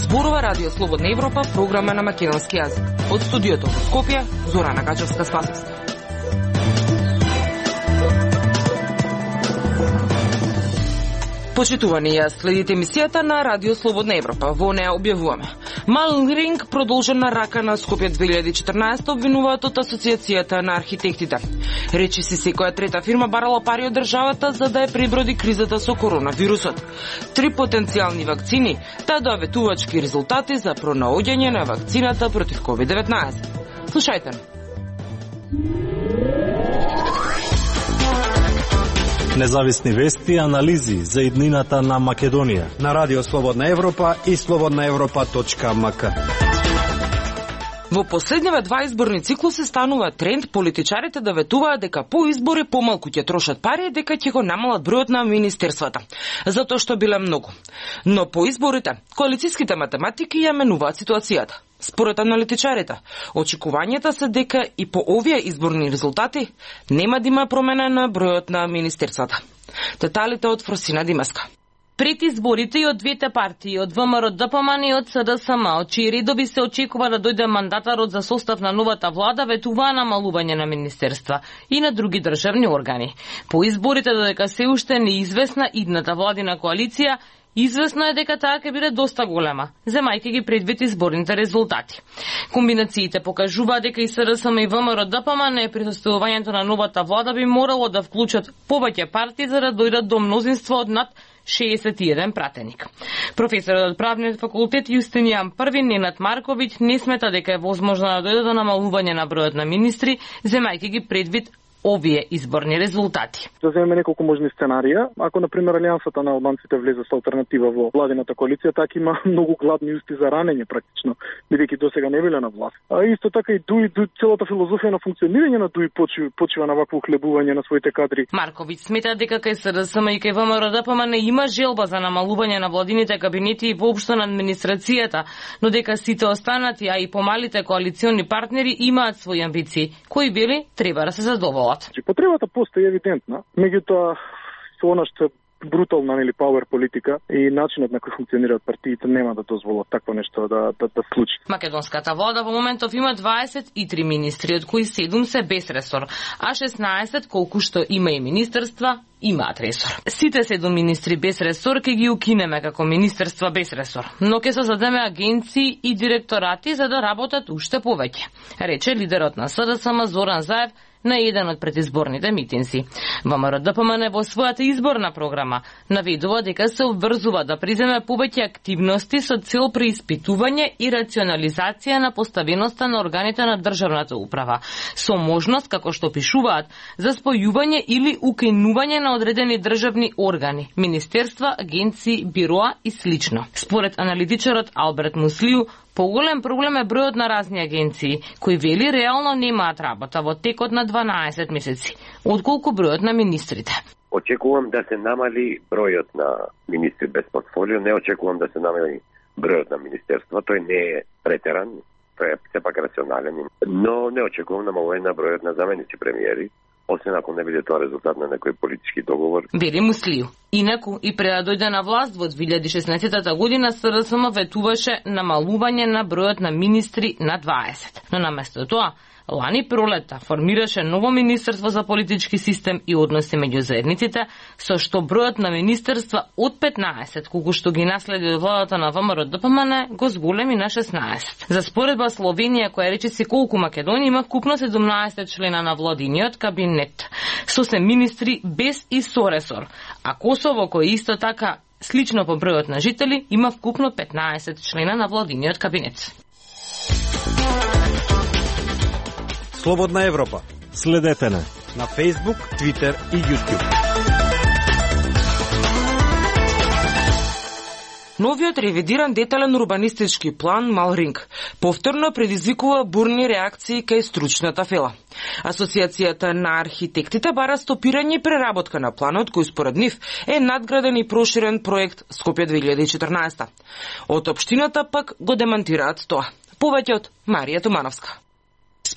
Зборува Радио Слободна Европа, програма на македонски јазик. Од студиото во Скопје, Зорана Гачевска-Спасовска. Почитувани, ја следите емисијата на Радио Слободна Европа. Во неа објавуваме. Малринг продолжена рака на Скопје 2014 обвинуваат од Асоциацијата на архитектите. Речи си секоја трета фирма барала пари од државата за да ја преброди кризата со коронавирусот. 3 потенцијални вакцини, та доветувачки резултати за пронаоѓање на вакцината против COVID-19. Слушајте. Независни вести и анализи за иднината на Македонија на Радио Слободна Европа и slobodnaevropa.mk. Во последниве 2 изборни циклуси станува тренд политичарите да ветуваат дека по избори помалку ќе трошат пари и дека ќе го намалат бројот на министерствата, затоа што биле многу. Но по изборите, коалицијските математики ја менуваат ситуацијата. Според аналитичарите, очекувањата се дека и по овие изборни резултати нема да има промена на бројот на министерствата. Деталите од Фросина Димаска. Пред изборите и од двете партии, од ВМРО ДПМН и од СДСМ, од чии редови се очекува да дојде мандатарот за состав на новата влада, ветуваа намалување на министерства и на други државни органи. По изборите, додека се уште неизвестна идната владина коалиција, известно е дека таа ќе биде доста голема, земајќи ги предвид изборните резултати. Комбинациите покажуваат дека и СДСМ и ВМРО ДПМН при составувањето на новата влада би морало да вклучат повеќе партии за да дојдат до мнозинство од над 61 пратеник. Професорот од правниот факултет Јустинијан I Ненад Марковиќ не смета дека е возможно да дојде до намалување на бројот на министри, земајќи ги предвид овие изборни резултати. Да земеме неколку можни сценарија. Ако, например, Алијансата на албанците влезе со алтернатива во владината коалиција, така има многу гладни усти за ранење практично, бидејќи досега не биле на власт. А исто така и ДУИ, целата филозофија на функционирање на ДУИ почива на вакво ухлебување на своите кадри. Марковиќ смета дека кај СДСМ и кај ВМРО ДПМН има желба за намалување на владините кабинети и воопшто на администрацијата, но дека сите останати, а и помалите коалициони партнери имаат своји амбиции, кои вели треба да се задоволат. Потребата постои евидентна, меѓутоа со она што брутална или пауер политика и начинот на кој функционираат партиите нема да дозволат такво нешто да случи. Македонската влада во моментов има 23 министри, од кои 7 се без ресор, а 16 колку што има и министерства имаат ресор. Сите 7 министри без ресор ќе ги укинеме како министерства без ресор, но ќе создадеме агенции и директорати за да работат уште повеќе, рече лидерот на СДСМ Зоран Заев на еден од предизборните митинзи. ВМРО ДПМН во својата изборна програма наведува дека се обврзува да преземе повеќе активности со цел преиспитување и рационализација на поставеноста на органите на државната управа, со можност, како што пишуваат, за спојување или укинување на одредени државни органи, министерства, агенции, бироа и слично. Според аналитичарот Алберт Муслију, поголем проблем е бројот на разни агенции, кои вели реално немаат работа во текот на 12 месеци, отколку бројот на министрите. Очекувам да се намали бројот на министри без портфолио, не очекувам да се намали бројот на министерства, тој не е претеран, тој е сепак рационален, но не очекувам намалување на бројот на заменици премиери, освен ако не биде тоа резултат на некој политички договор. Вели Муслију. Инаку, и пред да дојде на власт во 2016 година, СДСМ ветуваше намалување на бројот на министри на 20. Но наместо тоа, лани пролета формираше ново министерство за политички систем и односи меѓу заедниците, со што бројот на министерства од 15, колку што ги наследи од владата на ВМРО ДПМН, го зголеми на 16. За споредба Словенија, која речиси колку Македонија, има вкупно 17 члена на владиниот кабинет, со се министри без и со ресор, а Косово, кој исто така слично по бројот на жители, има вкупно 15 члена на владиниот кабинет. Слободна Европа. Следете на Facebook, Twitter и YouTube. Новиот ревидиран детален урбанистички план Малринг повторно предизвикува бурни реакции кај стручната фела. Асоциацијата на архитектите бара стопирање и преработка на планот, кој според нив е надграден и проширен проект Скопје 2014. Од општината пак го демантираат тоа. Повеќе од Марија Тумановска.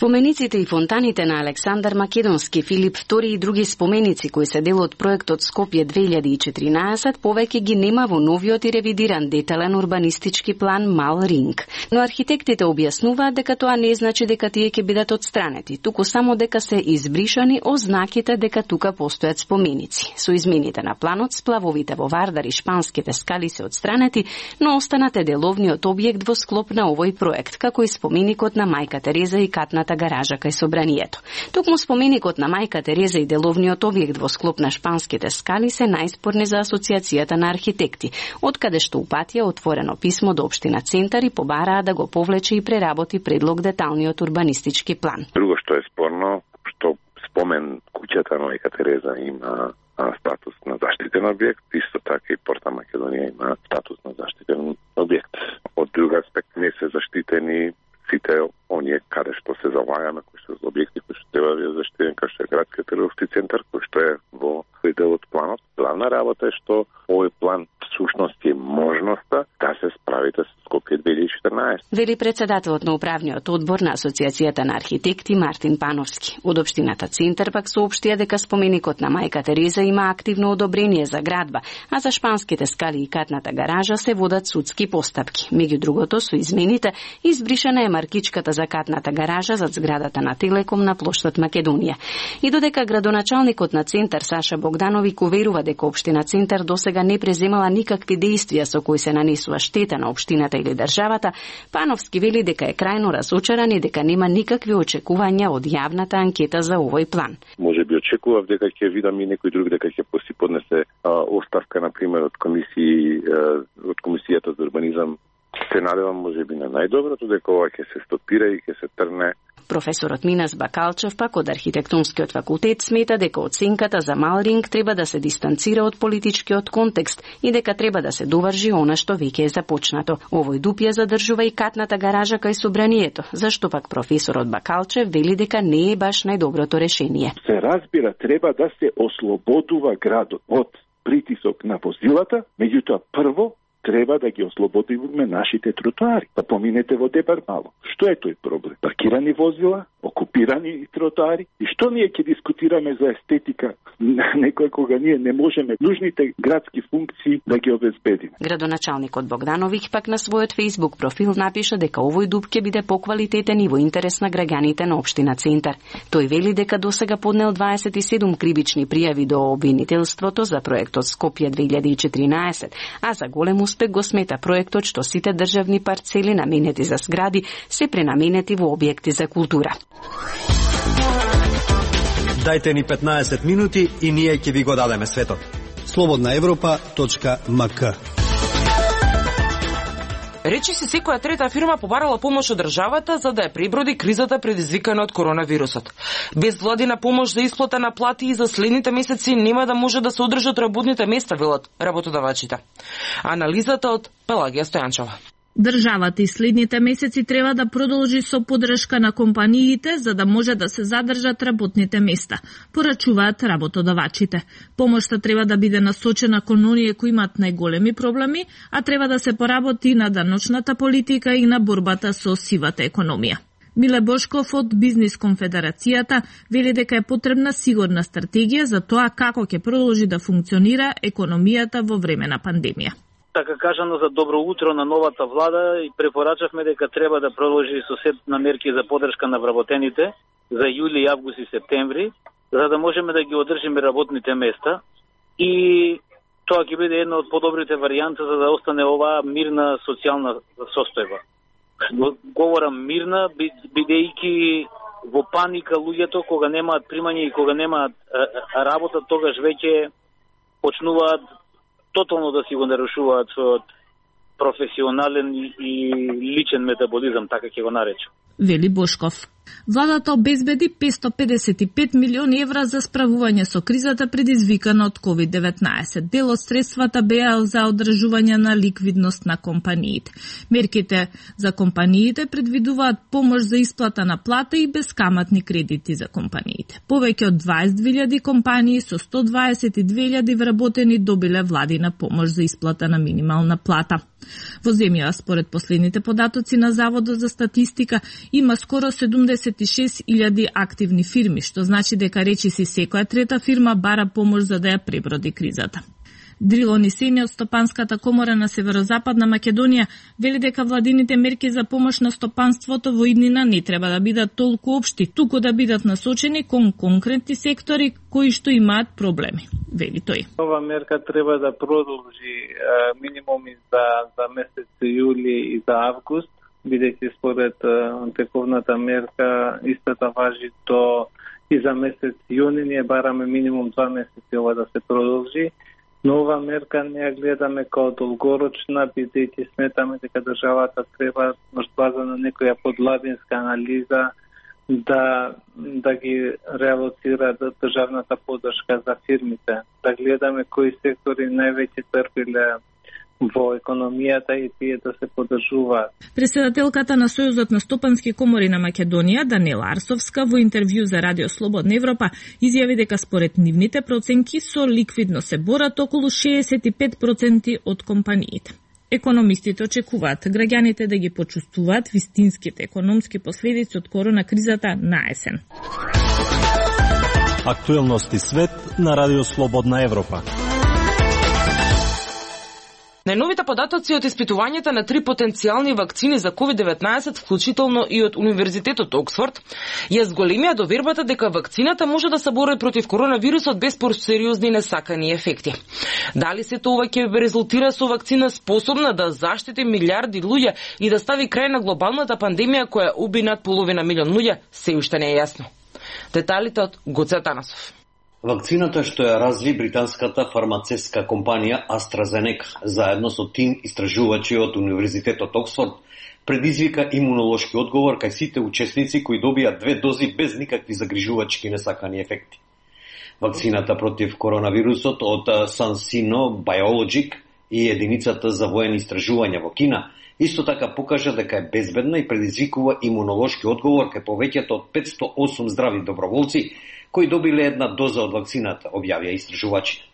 Спомениците и фонтаните на Александар Македонски, Филип II и други споменици кои се дел од проектот Скопје 2014 повеќе ги нема во новиот и ревидиран детален урбанистички план Мал Ринг. Но архитектите објаснуваат дека тоа не значи дека тие ќе бидат отстранети, туку само дека се избришани ознаките дека тука постојат споменици. Со измените на планот, сплавовите во Вардар и шпанските скали се отстранети, но останате деловниот објект во склоп на овој проект, како и споменикот на Мајка Тереза и катната гаража кај собранието. Токму споменикот на Мајка Тереза и деловниот објект во склоп на шпанските скали се најспорни за Асоциацијата на архитекти, откаде што упатија отворено писмо до општина Центар и побараа да го повлече и преработи предлог деталниот урбанистички план. Друго што е спорно, што спомен куќата на Мајка Тереза има статус на заштитен објект, исто така и Порта Македонија има статус на заштитен објект. Од друг аспект не се заштитени сите оние каде што се залагаме, кои што се објекти кои што треба да бидат заштитени, како што е градскиот трговски центар, кој што е во тој дел од планот. Главна работа е што овој план всушност е можноста да се справите со Скопје 2014. Вели председателот на управниот одбор на Асоциацијата на архитекти Мартин Пановски. Од општината Центар пак соопштија дека споменикот на Мајка Тереза има активно одобрение за градба, а за шпанските скали и катната гаража се водат судски постапки. Меѓу другото, со измените избришана е маркичката за катната гаража зад зградата на Телеком на плоштад Македонија. И додека градоначалникот на Центар Саша Богдановик уверува дека општина Центар досега не преземала никакви действија со кои се нанесува штета на општината или државата, Пановски вели дека е крајно разочаран и дека нема никакви очекувања од јавната анкета за овој план. Може би очекував дека ќе видам и некој друг дека ќе си поднесе оставка, на пример, од комисијата за урбанизам. Се надевам може би на најдоброто, дека ова ќе се стопира и ќе се трне. Професорот Минас Бакалчев пак од архитектонскиот факултет смета дека оценката за Мал Ринг треба да се дистанцира од политичкиот контекст и дека треба да се доврши она што веќе е започнато. Овој дуп ја задржува и катната гаража кај собранието, зашто пак професорот Бакалчев вели дека не е баш најдоброто решение. Се разбира, треба да се ослободува градот од притисок на возилата, меѓутоа прво треба да ги ослободиме нашите тротоари. Да поминете во Дебар мало. Што е тој проблем? Паркирани возила, окупирани тротоари. И што ние ќе дискутираме за естетика некој кога ние не можеме нужните градски функции да ги обезбедиме? Градоначалникот Богдановиќ пак на својот Facebook профил напиша дека овој дуб ќе биде поквалитетен и во интерес на граѓаните на општина Центар. Тој вели дека досега поднел 27 кривични пријави до обвинителството за проектот Скопје 2014, а за голем успех го смета проектот што сите државни парцели наменети за згради се пренаменети во објекти за култура. Дајте ни 15 минути и ние ќе ви го дадеме светот. slobodnaevropa.mk. Речи се секоја трета фирма побарала помош од државата за да ја преброди кризата предизвикана од коронавирусот. Без владина помош за исплата на плати и за следните месеци нема да може да се одржат работните места, велат работодавачите. Анализата од Пелагија Стојанчова. Државата и следните месеци треба да продолжи со поддршка на компаниите за да може да се задржат работните места, порачуваат работодавачите. Помошта треба да биде насочена кон оние кои имаат најголеми проблеми, а треба да се поработи на даночната политика и на борбата со сивата економија. Миле Бошков од Бизнис конфедерацијата вели дека е потребна сигурна стратегија за тоа како ќе продолжи да функционира економијата во време на пандемија. Така кажано за добро утро на новата влада и препорачавме дека треба да продолжи со сет на мерки за поддршка на вработените за јули, август и септември, за да можеме да ги одржиме работните места и тоа ќе биде една од подобрите варијанти за да остане оваа мирна социјална состојба. Говорам мирна, бидејќи во паника луѓето кога немаат примање и кога немаат работа, тогаш веќе почнуваат тотално да си го нарушуваат својот професионален и личен метаболизам, така ќе го наречам. Вели Бошков. Владата обезбеди 555 милиони евра за справување со кризата предизвикана од COVID-19. Дел од средствата беа за одржување на ликвидност на компаниите. Мерките за компаниите предвидуваат помош за исплата на плата и бескаматни кредити за компаниите. Повеќе од 22.000 компании со 122.000 вработени добиле владина помош за исплата на минимална плата. Во земјава, според последните податоци на Заводот за статистика, има скоро 70 86.000 активни фирми, што значи дека речиси секоја трета фирма бара помош за да ја преброди кризата. Дрило Нисени од Стопанската комора на Северозападна Македонија вели дека владините мерки за помош на стопанството во иднина не треба да бидат толку општи, туку да бидат насочени кон конкретни сектори кои што имаат проблеми, вели тој. Ова мерка треба да продолжи минимум и за месец јули и за август, бидејќи според тековната мерка истата важи до и за месец јуни. Ние бараме минимум 2 месеци ова да се продолжи. Но ова мерка не ја гледаме као долгорочна, бидејќи сметаме дека државата треба на база на некоја подладинска анализа да ги реалоцира државната поддршка за фирмите. Да гледаме кои сектори највеќе трпеле во економијата и тие да се поддржуваат. Претседателката на Сојузот на стопански комори на Македонија, Данила Арсовска, во интервју за Радио Слободна Европа, изјави дека според нивните проценки со ликвидно се борат околу 65% од компаниите. Економистите очекуваат граѓаните да ги почувствуваат вистинските економски последици од корона кризата на есен. Актуелности свет на Радио Слободна Европа. Најновите податоци од испитувањата на 3 потенцијални вакцини за COVID-19, вклучително и од Универзитетот Оксфорд, ја зголемија довербата дека вакцината може да се бори против коронавирусот без сериозни несакани ефекти. Дали сето ова ќе резултира со вакцина способна да заштити милиарди луѓе и да стави крај на глобалната пандемија која уби над половина милион луѓе, се уште не е јасно. Деталите од Гоце Атанасов. Вакцината што ја разви британската фармацевска компанија AstraZeneca заедно со тим истражувачи од Универзитетот Оксфорд предизвика имунолошки одговор кај сите учесници кои добија 2 дози без никакви загрижувачки несакани ефекти. Вакцината против коронавирусот од CanSino Biologic и единицата за воени истражувања во Кина исто така покажа дека е безбедна и предизвикува имунолошки одговор кај повеќето од 508 здрави доброволци кои добиле една доза од вакцината, објавија истражувачите.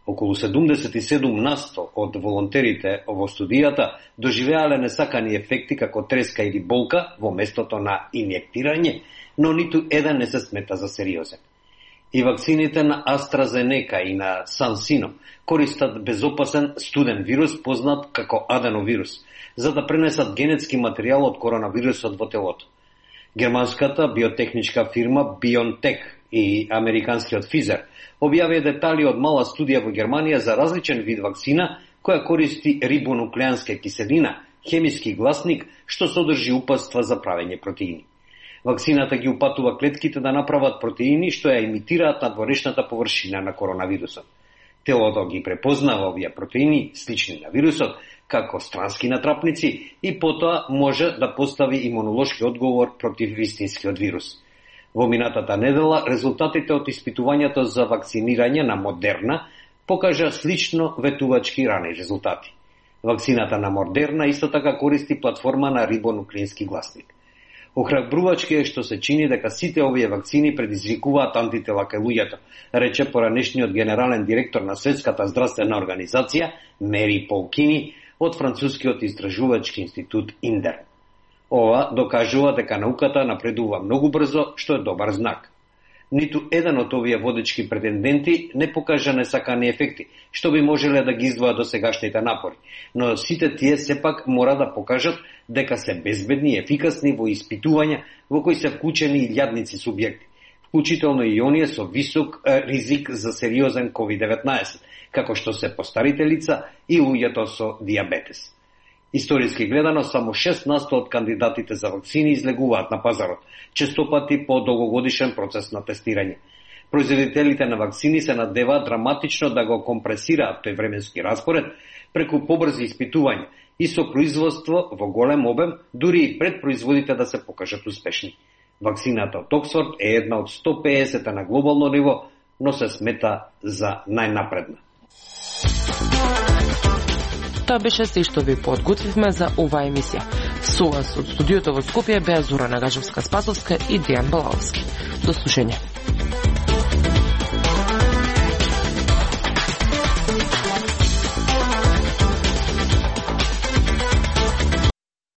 Околу 77% од волонтерите во студијата доживеале несакани ефекти како треска или болка во местото на инјектирање, но ниту еден не се смета за сериозен. И вакцините на AstraZeneca и на CanSino користат безопасен студен вирус познат како аденовирус, за да пренесат генетски материјал од коронавирусот во телото. Германската биотехничка фирма BioNTech и американскиот Pfizer објавија детали од мала студија во Германија за различен вид вакцина која користи рибонуклеанска киселина, хемиски гласник што содржи упатства за правење протеини. Вакцината ги упатува клетките да направат протеини што ја имитираат надворешната површина на коронавирусот. Телото ги препознава овие протеини, слични на вирусот, како странски натрапници и потоа може да постави имунолошки одговор против вистинскиот вирус. Во минатата недела, резултатите од испитувањето за вакцинирање на Модерна покажа слично ветувачки рани резултати. Вакцината на Модерна исто така користи платформа на рибонуклеински гласник. Охрабрувачки е што се чини дека сите овие вакцини предизвикуваат антитела кај луѓето, рече поранешниот генерален директор на Светската здравствена организација Мери Полкини од францускиот истражувачки институт Индер. Ова докажува дека науката напредува многу брзо, што е добар знак. Ниту еден од овие водечки претенденти не покажа несакани ефекти, што би можеле да ги издвојат до сегашните напори, но сите тие сепак мора да покажат дека се безбедни и ефикасни во испитувања во кои се вклучени илјадници субјекти, вклучително и оние со висок ризик за сериозен COVID-19, како што се постарите лица и луѓето со диабетес. Историски гледано, само 6% од кандидатите за вакцини излегуваат на пазарот, честопати по долгогодишен процес на тестирање. Производителите на вакцини се надеваат драматично да го компресираат тој временски распоред преку побрзи испитувања и со производство во голем обем, дури и пред производите да се покажат успешни. Вакцината од Оксфорд е една од 150 на глобално ниво, но се смета за најнапредна. Тоа беше се што ви подготвивме за оваа емисија. Со вас од студиото во Скопје беа Зора Нагажевска-Спасовска и Дејан Балаловски. До слушање.